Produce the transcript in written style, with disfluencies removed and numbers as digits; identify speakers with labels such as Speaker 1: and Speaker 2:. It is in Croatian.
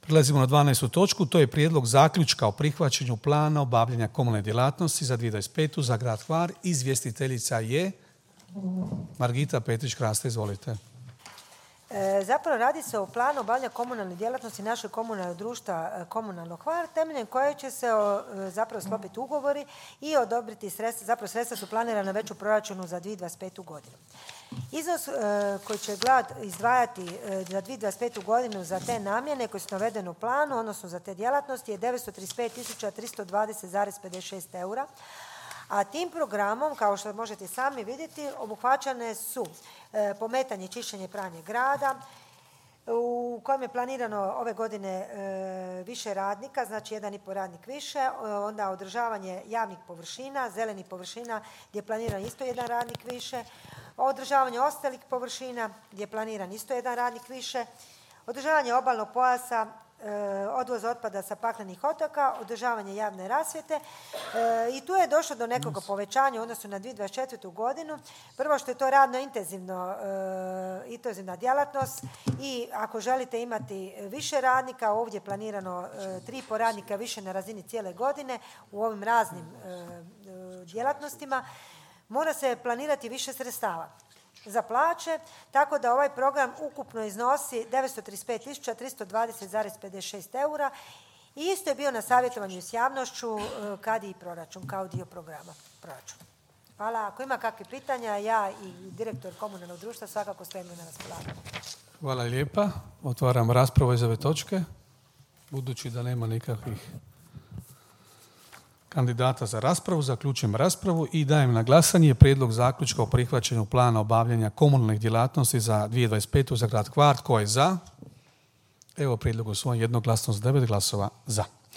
Speaker 1: Prelazimo na 12. točku, to je prijedlog zaključka o prihvaćanju plana obavljanja komunalne djelatnosti za 2025. za grad Hvar. Izvjestiteljica je Margita Petrić-Krasta, izvolite.
Speaker 2: Zapravo radi se o planu obavljanja komunalne djelatnosti našeg komunalnog društva Komunalno Hvar, temeljem koje će se zapravo sklopiti ugovori i odobriti sredstva. Zapravo sredstva su planirana već u proračunu za 2025. godinu. Iznos koji će grad izdvajati za 2025. godinu za te namjene koje su navedene u planu, odnosno za te djelatnosti, je 935.320,56 eura. A tim programom, kao što možete sami vidjeti, obuhvaćane su pometanje i čišćenje pranje grada, u kojem je planirano ove godine više radnika, znači 1,5 radnik više, onda održavanje javnih površina, zelenih površina gdje je planiran isto 1 radnik više, održavanje ostalih površina gdje je planiran isto 1 radnik više, održavanje obalnog pojasa, odvoz otpada sa paklenih otoka, održavanje javne rasvjete i tu je došlo do nekog povećanja u odnosu na 2024. godinu. Prvo što je to radno intenzivna djelatnost i ako želite imati više radnika, ovdje je planirano 3,5 radnika više na razini cijele godine u ovim raznim djelatnostima, mora se planirati više sredstava za plaće, tako da ovaj program ukupno iznosi 935.320,56 eura i isto je bio na savjetovanju s javnošću kad i proračun, kao dio programa proračuna. Hvala. Ako ima kakvih pitanja, ja i direktor komunalnog društva svakako stojimo na raspolaganju.
Speaker 1: Hvala lijepa. Otvaram raspravu iz ove točke. Budući da nema nikakvih kandidata za raspravu, zaključujem raspravu i dajem na glasanje prijedlog zaključka o prihvaćanju plana obavljanja komunalnih djelatnosti za 2025. za grad Hvar. Tko je za? Evo prijedlog usvojen jednoglasno s 9 glasova za.